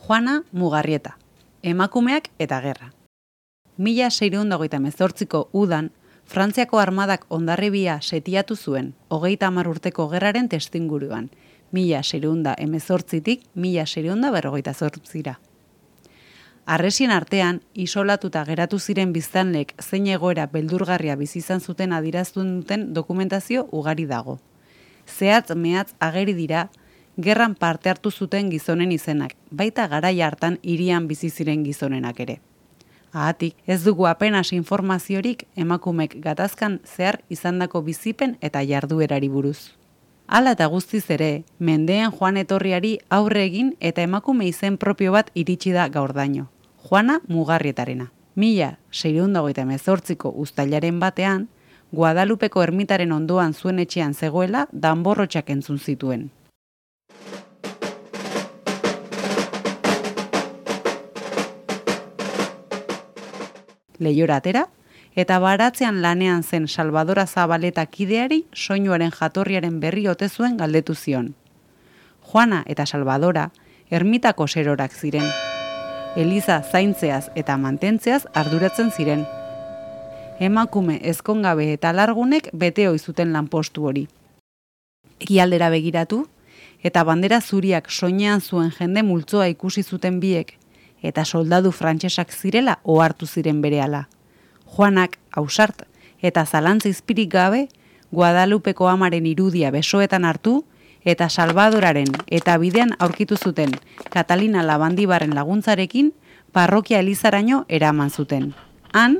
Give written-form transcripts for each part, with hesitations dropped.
Juana Mugarrieta, emakumeak eta gerra. 1628ko udan, Frantziako armadak Hondarribia setiatu zuen, 30 urteko gerraren testinguruan, 1618tik 1658ra. Harresien artean, isolatuta geratu ziren biztanlek zein egoera beldurgarria bizi izan zuten adierazten duten dokumentazio ugari dago. Zehatz mehatz ageri dira, gerran parte hartu zuten gizonen izenak, baita garai hartan hirian bizi ziren gizonenak ere. Ahatik, ez dugu apenas informaziorik emakumek gatazkan zehar izandako bizipen eta jarduerari buruz. Hala eta guztiz ere, mendeen joan etorriari aurre egin eta emakume izen propio bat iritsi da gaurdaino. Juana Mugarrietarena. 1628ko uztailaren batean, Guadalupeko ermitaren ondoan zuen etxean zegoela danborrotxak entzun zituen. Leihora atera, eta baratzean lanean zen Salvadora Zabaleta kideari soinuaren jatorriaren berri ote zuen galdetu zion. Juana eta Salvadora ermitako serorak ziren. Eliza zaintzeaz eta mantentzeaz arduratzen ziren. Emakume ezkongabe eta largunek bete ohi zuten lanpostu hori. Ekialdera begiratu, eta bandera zuriak soinean zuen jende multzoa ikusi zuten biek, eta soldadu frantsesak zirela ohartu ziren berehala. Juanak, ausart, eta zalantza izpirik gabe, Guadalupeko amaren irudia besoetan hartu, eta Salvadoraren eta bidean aurkitu zuten Catalina Labandibarren laguntzarekin parrokia elizaraino eraman zuten. Han,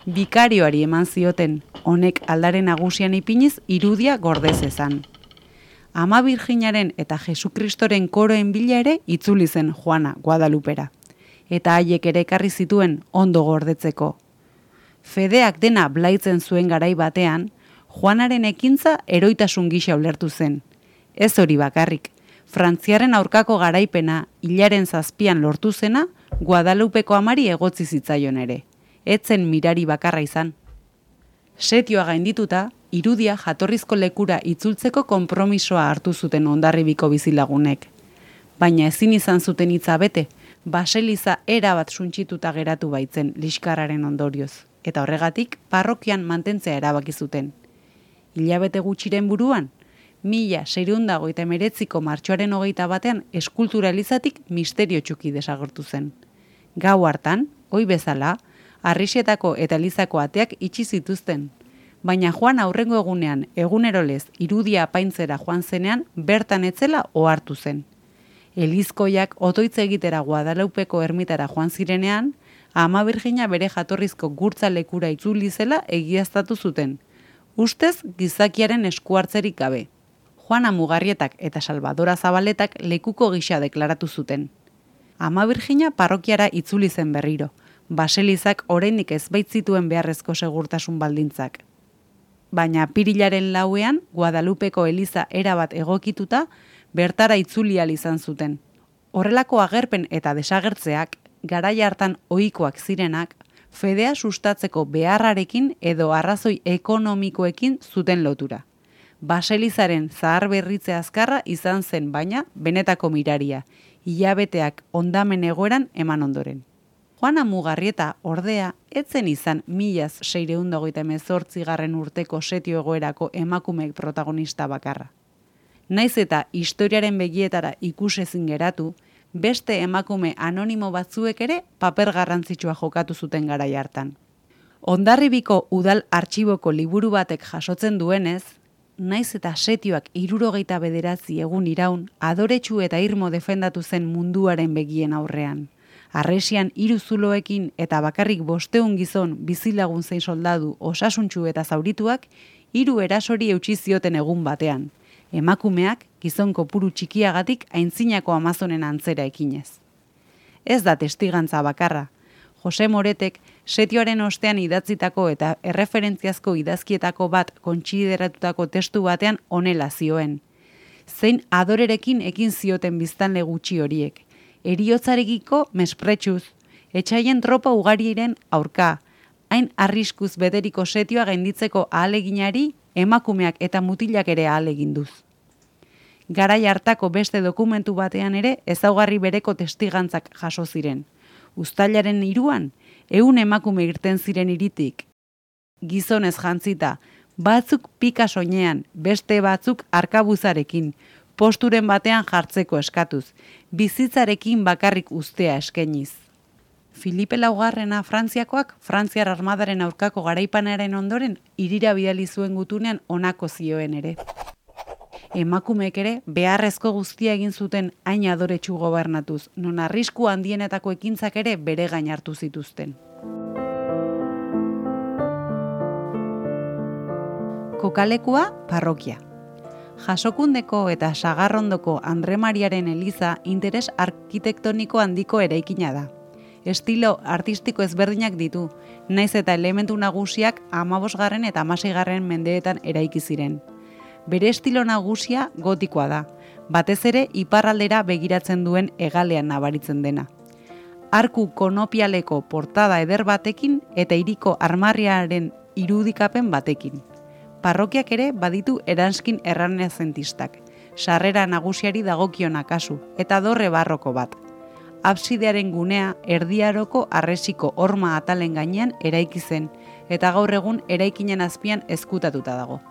bikarioari eman zioten, honek aldare nagusian ipiniz irudia gordezezan. Ama Birjinaren eta Jesukristoren koroen bila ere itzuli zen Juana Guadalupera, eta haiek ere ekarri zituen ondo gordetzeko. Fedeak dena blaitzen zuen garai batean, Juanaren ekintza eroitasun gisa ulertu zen. Ez hori bakarrik, Frantziaren aurkako garaipena hilaren 7an lortu zena Guadalupeko amari egotzi zitzaion ere. Etzen mirari bakarra izan. Setioa gaindituta, irudia jatorrizko lekura itzultzeko konpromisoa hartu zuten Hondarribiko bizilagunek. Baina ezin izan zuten hitza bete, baseliza erabat suntsituta geratu baitzen liskarraren ondorioz, eta horregatik parrokian mantentzea erabaki zuten. Hilabete gutxiren buruan, 1629ko martxoaren 21ean eskultura elizatik misterio txuki desagertu zen. Gau hartan, ohi bezala, Arrixetako eta Elizako ateak itxi zituzten, baina Juan aurrengo egunean egunerolez irudia apaintzera joan zenean bertan etzela ohartu zen. Elizkoiak otoitz egitera Guadalupeko ermitara joan zirenean, Ama Birjina bere jatorrizko gurtza lekura itzuli zela egiaztatu zuten, ustez gizakiaren esku hartzerik gabe. Juana Mugarrietak eta Salvadora Zabaletak lekuko gisa deklaratu zuten. Ama Birjina parrokiara itzuli zen berriro, baselizak oraindik ez baitzituen beharrezko segurtasun baldintzak. Baina apirilaren 4ean Guadalupeko eliza erabat egokituta bertara itzuli ahal izan zuten. Horrelako agerpen eta desagertzeak, garai hartan ohikoak zirenak, fedea sustatzeko beharrarekin edo arrazoi ekonomikoekin zuten lotura. Baselizaren zahar berritze azkarra izan zen baina benetako miraria, hilabeteak hondamen egoeran eman ondoren. Juana Mugarrieta ordea etzen izan 1628 urteko setio egoerako emakumeek protagonista bakarra. Naiz eta historiaren begietara ikusezin geratu, beste emakume anonimo batzuek ere paper garrantzitsua jokatu zuten garai hartan. Hondarribiko udal artxiboko liburu batek jasotzen duenez, naiz eta setioak 69 egun iraun, adoretsu eta irmo defendatu zen munduaren begien aurrean. Harresian 3 zuloekin eta bakarrik 500 gizon bizilagun zein soldadu osasuntsu eta zaurituak 3 erasori eutsi zioten egun batean. Emakumeak gizon kopuru txikiagatik aintzinako Amazonen antzera ekinez. Ez da testigantza bakarra. Jose Moretek setioaren ostean idatzitako eta erreferentziazko idazkietako bat kontsideratutako testu batean honela zioen. Zein adorerekin ekin zioten biztanle gutxi horiek. Eriotzarekiko mespretsuz, etxaien tropa ugariren aurka, hain arriskuz bederiko setioa gainditzeko ahaleginari emakumeak eta mutilak ere ahaleginduz. Garai hartako beste dokumentu batean ere ezaugarri bereko testigantzak jaso ziren. Uztailaren 3an, 100 emakume irten ziren hiritik. Gizonez jantzita, batzuk pika soinean, beste batzuk arkabuzarekin, posturen batean jartzeko eskatuz, bizitzarekin bakarrik uztea eskainiz. Filipe Laugarrena Frantziakoak, Frantziar armadaren aurkako garaipanaren ondoren, hirira bidali zuen gutunean honako zioen ere. Emakumeek ere beharrezko guztia egin zuten hain adoretsu gobernatuz, non arrisku handienetako ekintzak ere bere gain hartu zituzten. Kokalekua parrokia. Jasokundeko eta Sagarrondoko Andre Mariaren eliza interes arkitektoniko handiko eraikina da. Estilo artistiko ezberdinak ditu, naiz eta elementu nagusiak 15. eta 16. mendeetan eraiki ziren. Bere estilo nagusia gotikoa da, batez ere iparraldera begiratzen duen hegalean nabaritzen dena. Arku konopialeko portada eder batekin eta hiriko armarriaren irudikapen batekin. Parrokiak ere baditu eranskin errenazentistak, sarrera nagusiari dagokiona kasu, eta dorre barroko bat. Absidearen gunea erdiaroko harresiko horma atalen gainean eraiki zen, eta gaur egun eraikinen azpian ezkutatuta dago.